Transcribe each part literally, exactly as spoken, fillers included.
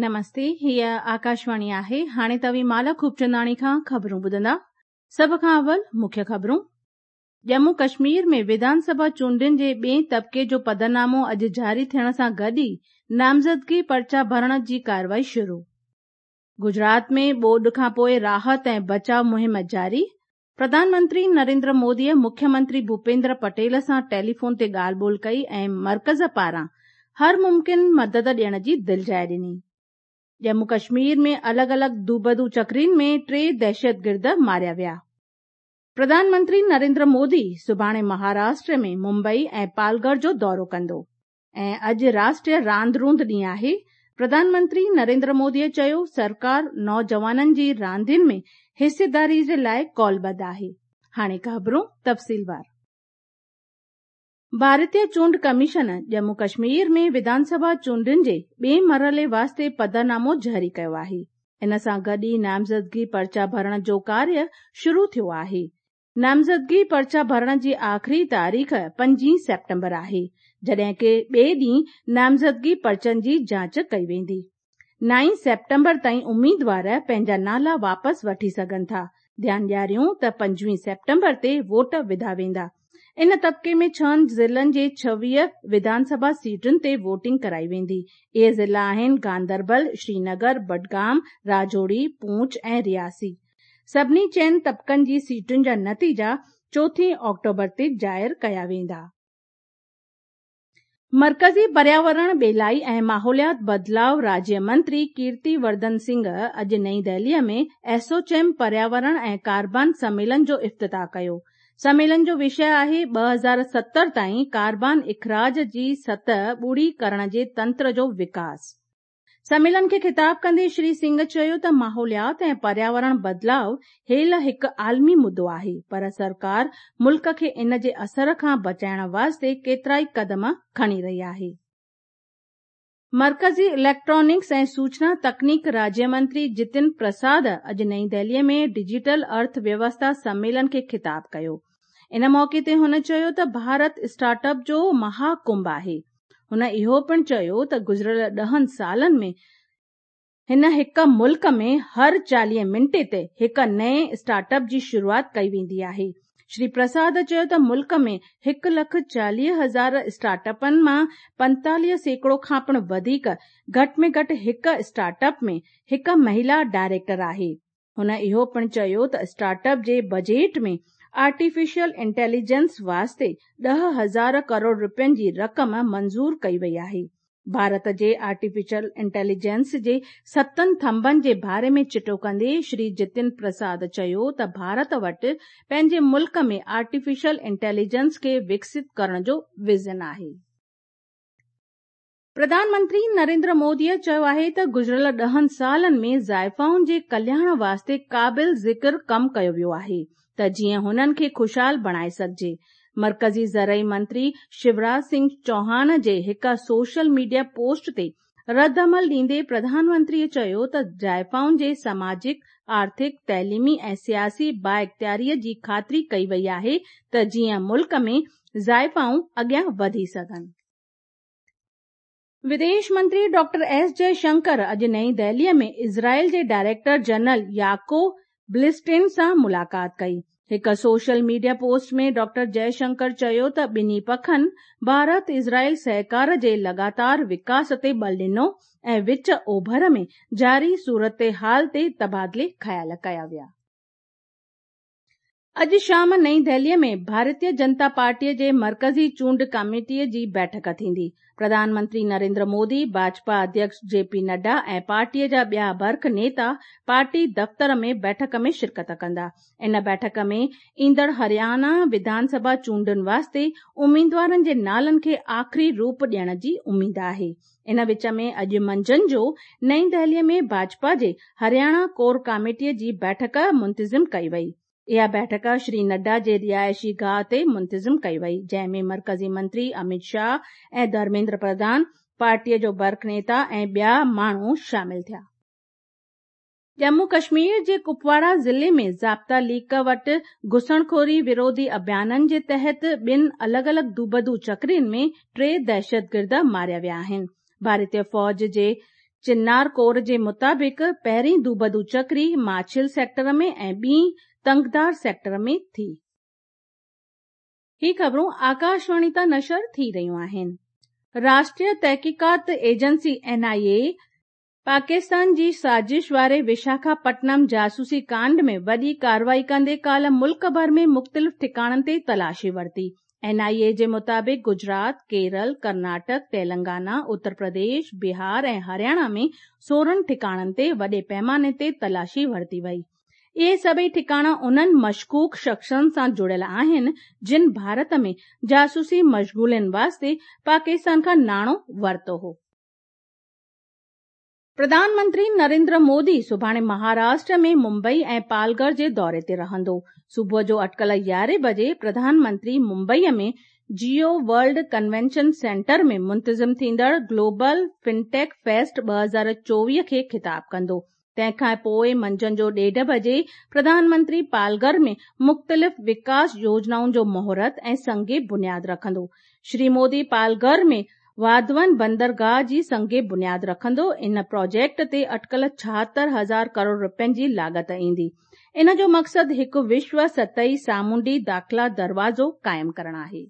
नमस्ते, हीअ आकाशवाणी आहे। हाणे तव्हीं माला खूबचंदाणी खां ख़बरूं ॿुधंदा। सभ खां अवल मुख्य ख़बरूं। जम्मू कश्मीर में विधानसभा चूंडियुनि जे ॿिए तबिके जो पधरनामो अॼु जारी थियण सां गॾु ई नामज़दगी पर्चा भरण जी कार्रवाई शुरू। गुजरात में ॿोॾ खां पोइ राहत ऐं बचाव मुहिम जारी। प्रधानमंत्री नरेंद्र मोदीअ मुख्यमंत्री भूपेंद्र पटेल सां टेलीफोन ते ॻाल्हि ॿोल कई ऐं मर्कज़ पारां हर मुमकिन मदद ॾियण जी दिलजाइ ॾिनी। जम्मू कश्मीर में अलॻि अलॻि दूबदू चकरियुनि में टे दहशतगिर्द मारिया विया। प्रधानमंत्री नरेंद्र मोदी सुभाणे महाराष्ट्र में मुंबई ऐं पालघर जो दौरो कंदो ऐं अॼु राष्ट्रीय रांदि रूंद ॾींहुं आहे। प्रधानमंत्री नरेंद्र मोदीअ चयो, सरकार नौजवाननि जी रांदियुनि में हिस्सेदारी जे लाइ कौलबद्ध आहे। हाणे ख़बरूं तफ़सीलवार। भारतीय चूंड कमीशन जम्मू कश्मीर में विधानसभा चूंडियुनि जे ॿिए मरहले वास्ते पधरनामो जारी कयो आहे। इन सां गॾु ई नामज़दगी पर्चा भरण जो कार्य शुरू थियो आहे। नामज़दगी पर्चा भरण जी आख़िरी तारीख़ पंजीह सेप्टेम्बर आहे, जॾहिं की ॿिए ॾींहुं नामज़दगी पर्चनि जी जांच कई वेंदी। नाई सेप्टेम्बर ताईं उम्मीदवार पंहिंजा नाला वापसि वठी सघनि था। ध्यानु ॾियारियूं त पंजवीह सेप्टेम्बर ते वोट विधा वेंदा। इन तबिके में छहनि ज़िलनि जे छवीह विधानसभा सीटुनि ते वोटिंग कराई वेंदी। इहे ज़िला आहिनि गांदरबल, श्रीनगर, बडगाम, राजौरी, पूंछ ऐं रियासी। सभिनी चइनि तबिकनि जी सीटुनि जा नतीजा चोथीं ऑक्टोबर ते ज़ाहिर कया वेंदा। मर्कज़ी पर्यावरण, ॿेलाई ऐं माहौलियात बदिलाव राज्य मंत्री कीर्ति वर्धन सिंह अॼु नई दिल्लीअ में एसोचैम पर्यावरण ऐं कार्बन सम्मेलन जो इफ़्तिताह कयो। सम्मेलन जो विषय आहे ॿ हज़ार सतरि ताईं कार्बन इख़राज जी सतह ॿुड़ी करण जे तंत्र जो विकास। सम्मेलन खे ख़िताब कंदे श्री सिंह चयो त माहौलियात ऐं पर्यावरण बदिलाव हेल हिकु आलमी मुद्दो आहे, पर सरकार मुल्क खे इन जे असर खां बचाइण वास्ते केतिरा ई कदम खणी रही आहे। मर्कज़ी इलेक्ट्रॉनिक्स ऐं सूचना तकनीक राज्य मंत्री जितिन प्रसाद अॼु नई दिल्लीअ में डिजिटल अर्थव्यवस्था सम्मेलन खे ख़िताब कयो। इन मौक़े ते हुन चयो त भारत स्टार्टअप जो महाकुंभ आहे। हुन इहो पिणु चयो त गुज़िरियल ॾहनि सालनि में हिन हिकु मुल्क में हर चालीह मिंटे ते हिकु नए स्टार्टअप जी शुरूआत कई वेंदी आहे। श्री प्रसाद चयो त मुल्क में हिकु लख चालीह हज़ार स्टार्टअपनि मां पंतालीह सैकड़ो खां पिणु वधीक घटि में घटि हिकु स्टार्टअप में हिकु महिला डायरेक्टर आहे। हुन इहो पिणु चयो त स्टार्टअप जे बजट में आर्टिफिशियल इंटेलिजेंस वास्ते ॾह हज़ार करोड़ रुपयनि जी रक़म मंज़ूर कई वई आहे। भारत जे आर्टिफिशियल इंटेलिजेंस जे सतनि थंभनि जे बारे में चिटो कंदे श्री जितिन प्रसाद चयो त भारत वटि पंहिंजे मुल्क में आर्टिफिशियल इंटेलिजेंस खे विकसित करण जो विज़न आहे। प्रधानमंत्री नरेंद्र मोदीअ चयो आहे त गुज़िरियल ॾहनि सालनि में ज़ाइफ़ाउनि जे कल्याण वास्ते क़ाबिल ज़िक्र कमु कयो वियो आहे त जीअं हुननि खे ख़ुशहाल बणाए सघिजे। मर्कज़ी ज़रई मंत्री शिवराज सिंह चौहान जे हिकु सोशल मीडिया पोस्ट ते रद्द अमल ॾींदे प्रधानमंत्रीअ चयो त ज़ाइफ़ाउनि जे सामाजिक, आर्थिक, तइलीमी ऐं सियासी बाइख़्तियारीअ जी ख़ातिरी कई वई आहे त जीअं मुल्क में ज़ाइफ़ाऊं अॻियां वधी सघनि। विदेश मंत्री डॉक्टर एस जयशंकर अॼु नई दिल्लीअ में इज़राइल जे डायरेक्टर जनरल याको ब्लिस्टेन सां मुलाक़ात कई। हिकु सोशल मीडिया पोस्ट में डॉक्टर जयशंकर चयो त ॿिन्ही पखनि भारत इज़राइल सहकार जे लगातार विकास ते बल ॾिनो ऐं विच ओभर में जारी सूरत हाल ते तबादिले ख़्याल कया विया। अॼु शाम नई दिल्लीअ में भारतीय जनता पार्टीअ जे मर्कज़ी चूंड कमेटीअ जी बैठक थींदी। प्रधानमंत्री नरेंद्र मोदी, भाजपा अध्यक्ष जे पी नड्डा ऐं पार्टीअ जा ॿिया बर्ख नेता पार्टी दफ़्तर में बैठक में शिरकत कंदा। इन बैठक में ईंदड़ हरियाणा विधानसभा चूंडुनि वास्ते उम्मीदवारनि जे नालनि खे आख़िरी रूप ॾियण जी उम्मीद आहे। इन विच में अॼु मंझंदि जो नई दिल्लीअ में भाजपा जे हरियाणा कोर कमेटीअ जी बैठक मुंतज़िम कई वई। इहा बैठक श्री नड्डा जे रिहाइशी गाह ते मुंतज़िम कई वई, जंहिं में मर्कज़ी मंत्री अमित शाह ऐं धर्मेंद्र प्रधान, पार्टीअ जो बर्ख नेता ऐं ॿिया माण्हू शामिल थिया। ڄمون ڪشمير جي ڪپواڙا ضلعي ۾ ضابطا ليڪ وٽ گهسڻخوري وروڌي اڀيانن جي تحت ٻن الڳ الڳ دوبدو چڪرين ۾ ٽي دهشتگرد ماريا ويا آهن. ڀارتيه فوج جي چنار ڪور جي مطابق پهرين دوبدو چڪري ماڇل سيڪٽر ۾ ۽ ٻي تنگدار سيڪٽر ۾ ٿي. هي خبرون آڪاشواڻي تان نشر ٿي رهيون آهن. راشٽريه تحقيقات ايجنسي اين آء اي پاڪستان جي سازش واري وشاکاپٽنم جاسوسي ڪانڊ ۾ وڏي ڪارروائي ڪندي ڪالهه ملڪ ڀر ۾ مختلف ٺڪاڻن تي تلاشي ورتي. اين آء اي جي مطابق گجرات، ڪيرل، ڪرناٽڪ، تيلنگانا، اتر پرديش، بهار ۽ هرياڻا ۾ سورهن ٺڪاڻن تي وڏي پيماني تي تلاشي ورتي وئي. اهي سڀئي ٺڪاڻا انهن مشڪوڪ شخصن سان جڙيل آهن جن ڀارت ۾ جاسوسي مشغولين واسطي پاڪستان کان ناڻو ورتو هو. پرڌان منتري نريندر مودي سڀاڻي مهاراشٽر ۾ ممبئي ۽ پالگهر جي دوري تي رهندو. صبح جو اٽڪل يارهين بجي پرڌان منتري ممبئي ۾ جيو ورلڊ ڪنوينشن سينٽر ۾ منتظم ٿيندڙ گلوبل فنٽيڪ فيسٽ ٻه هزار چوويهه کي خطاب ڪندو. تنهن کان پوءِ منجهند جو ڏيڍ بجي پرڌان منتري پالگهر ۾ مختلف وڪاس يوجنائن جو مهورت ۽ سنگ بنياد رکندو. شري مودي پالگهر ۾ واڌون بندرگاهه جي سنگ بنياد رکندو. ان پروجيڪٽ تي اٽڪل ڇاهتر هزار ڪروڙ رپين جي لاڳت ايندي. ان جو مقصد هڪ وشو سطحي سامونڊي داخلا دروازو قائم ڪرڻ آهي.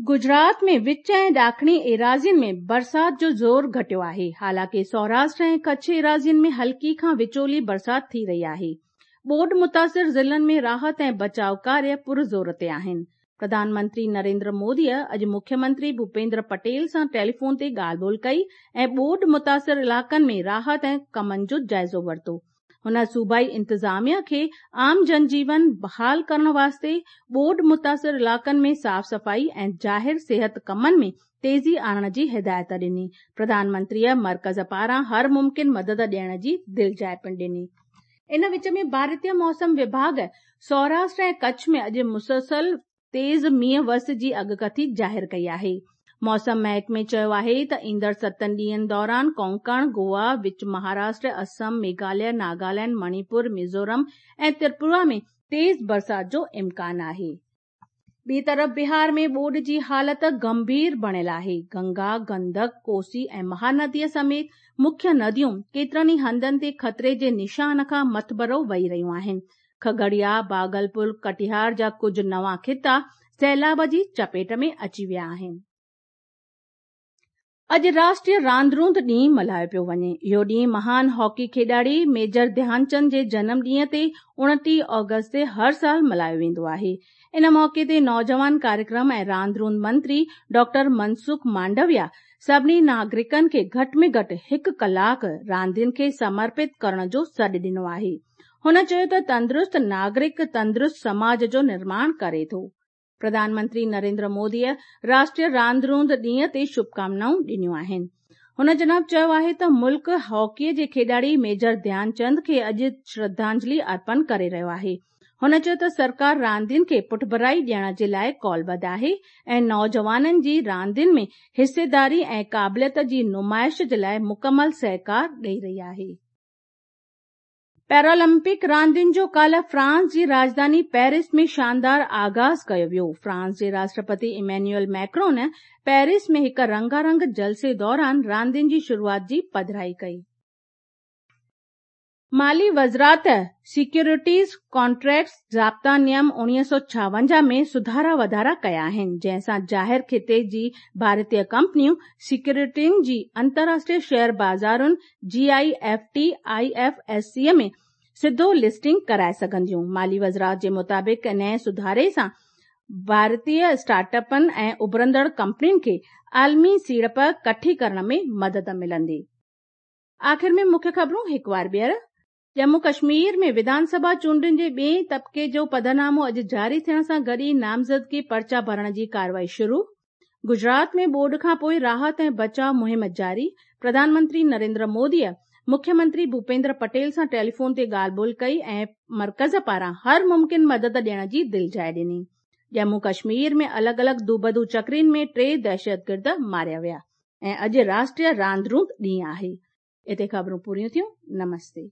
گجرات ۾ وچ ۽ ڏاکڻي ايراضين ۾ برسات جو زور گهٽيو آهي. حالانڪه سوراشٽر ۽ ڪڇ ايراضين ۾ هلڪي کان وچولي برسات ٿي رهي آهي. ٻوڏ متاثر ضلعن ۾ راحت ۽ بچاء ڪاريه پرزور تي آهن. پرڌان منتري نريندر موديء اڄ مکيه منتري ڀوپيندر پٽيل سان ٽيليفون تي ڳالهه ٻولهه ڪئي ۽ ٻوڏ متاثر علائقن ۾ راحت ۽ ڪمن جو جائزو ورتو. هن صوبائي انتظاميا کي عام جنجيون بحال ڪرڻ واسطي ٻوڏ متاثر علائقن ۾ صاف صفائي ۽ ظاهر صحت ڪمن ۾ تيزي آڻڻ جي هدايت ڏني. پرڌان منتريء مرڪز پاران هر ممڪن مدد ڏيڻ جي دلجاءِ پڻ ڏني. ان وچ ۾ ڀارتيه موسم وڀاڳ سوراشٽر ۽ ڪڇ ۾ اڄ مسلسل تيز مينهن وس جي اڳڪٿي ظاهر ڪئي آهي. موسم محڪمي چيو آهي ته ايندڙ ستن ڏينهن دوران ڪونڪڻ، گوا، وچ مهاراشٽر، اسم، ميگهاليه، ناگالينڊ، مڻيپور، ميزورم ۽ تريپورا ۾ تيز برسات جو امڪان آهي. ٻي طرف بهار ۾ ٻوڏ جي حالت گنڀير بڻيل آهي. گنگا، گندڪ، ڪوسي ۽ مهانديء سميت مکيه نديون ڪيترن ئي هنڌن تي خطري جي نشان کان مٿڀرو وهي رهيون آهن. کگڙيا، باگلپور، ڪٽيهار جا ڪجهه نوان خطا سيلاب جي چپيٽ ۾ اچي ويا آهن. اڄ راشٽريه راند روند ڏينهن ملهايو پيو وڃي. اهو ڏينهن مهان هاڪي کيڏاڙي ميجر ڌيانچند جي جنم ڏينهن تي اڻٽيهه آگسٽ تي هر سال ملهايو ويندو آهي. ان موقعي تي نوجوان ڪاريڪرم ۽ راند روند منتري ڊاڪٽر منسک مانڊويا سڀني ناگرڪن کي گهٽ ۾ گهٽ هڪ ڪلاڪ راندين کي سمرپت ڪرڻ جو سڏ ڏنو آهي. هن چيو ته تندرست ناگرڪ تندرست سماج جو نرماڻ ڪري ٿو. پرڌان منتري نريندر موديء راشٽريه راند روند ڏينهن تي شڀڪامنائون ڏنيون آهن. هن جناب چيو آهي ته ملڪ هاڪيء جي کيڏاڙي ميجر ڌيانچند کي اڄ شرڌانجلي ارپڻ ڪري رهيو آهي. هن چيو ته سرڪار راندين کي پٺڀرائي ڏيڻ جي لاءِ ڪالبڌ آهي ۽ نوجوانن جي راندين ۾ حصيداري ۽ قابليت جي نمائش جي لاءِ مڪمل سهڪار ڏئي رهي آهي. پيرالمپڪ راندين جو ڪالهه فرانس جي راڄڌاني پيرس ۾ شاندار آغاز ڪيو ويو. فرانس جي راشٽرپتي ايمينيول ميڪرون پيرس ۾ هڪ رنگارنگ جلسي دوران راندين جي شروعات جي پڌرائي ڪئي. مالي وزارت سيڪيورٽيز ڪانٽريڪٽس ضابطا نيم اڻويهه سؤ ڇاونجاهه ۾ سڌارا واڌارا ڪيا آهن، جنهن سان ظاهر خطي جي ڀارتيه ڪمپنيون سيڪيورٽين جي انترراشٽريه شيئر بازارن G I F T I F S C ۾ سڌو لسٽنگ ڪرائي سگهنديون. مالي وزارت جي مطابق نئين سڌاري سان ڀارتيه اسٽارٽ اپن ۽ اڀرندڙ ڪمپنين کي عالمي سيڙپ ڪٺي ڪرڻ ۾ مدد ملندي. آخر ۾ مکيه خبرون هڪ وار ٻيهر. ڄمون ڪشمير ۾ وڌانسڀا چونڊن جي ٻئي طبقي جو پڌرنامو اڄ جاري ٿيڻ سان گڏ ئي نامزدگي پرچا ڀرڻ جي ڪارروائي شروع. گجرات ۾ ٻوڏ کان پوءِ راحت ۽ بچاء مهم جاري. پرڌان منتري نريندر موديء مکيه منتري ڀوپيندر پٽيل سان ٽيليفون تي ڳالهه ٻولهه ڪئي ۽ مرڪز پاران هر ممڪن مدد ڏيڻ جي دلجاءِ ڏني. ڄمون ڪشمير ۾ الڳ الڳ دوبدو چڪرين ۾ ٽي دهشتگرد ماريا ويا ۽ اڄ راشٽريه راند روند ڏينهن آهي. हिते ख़बरूं पूरियूं थियूं। नमस्ते।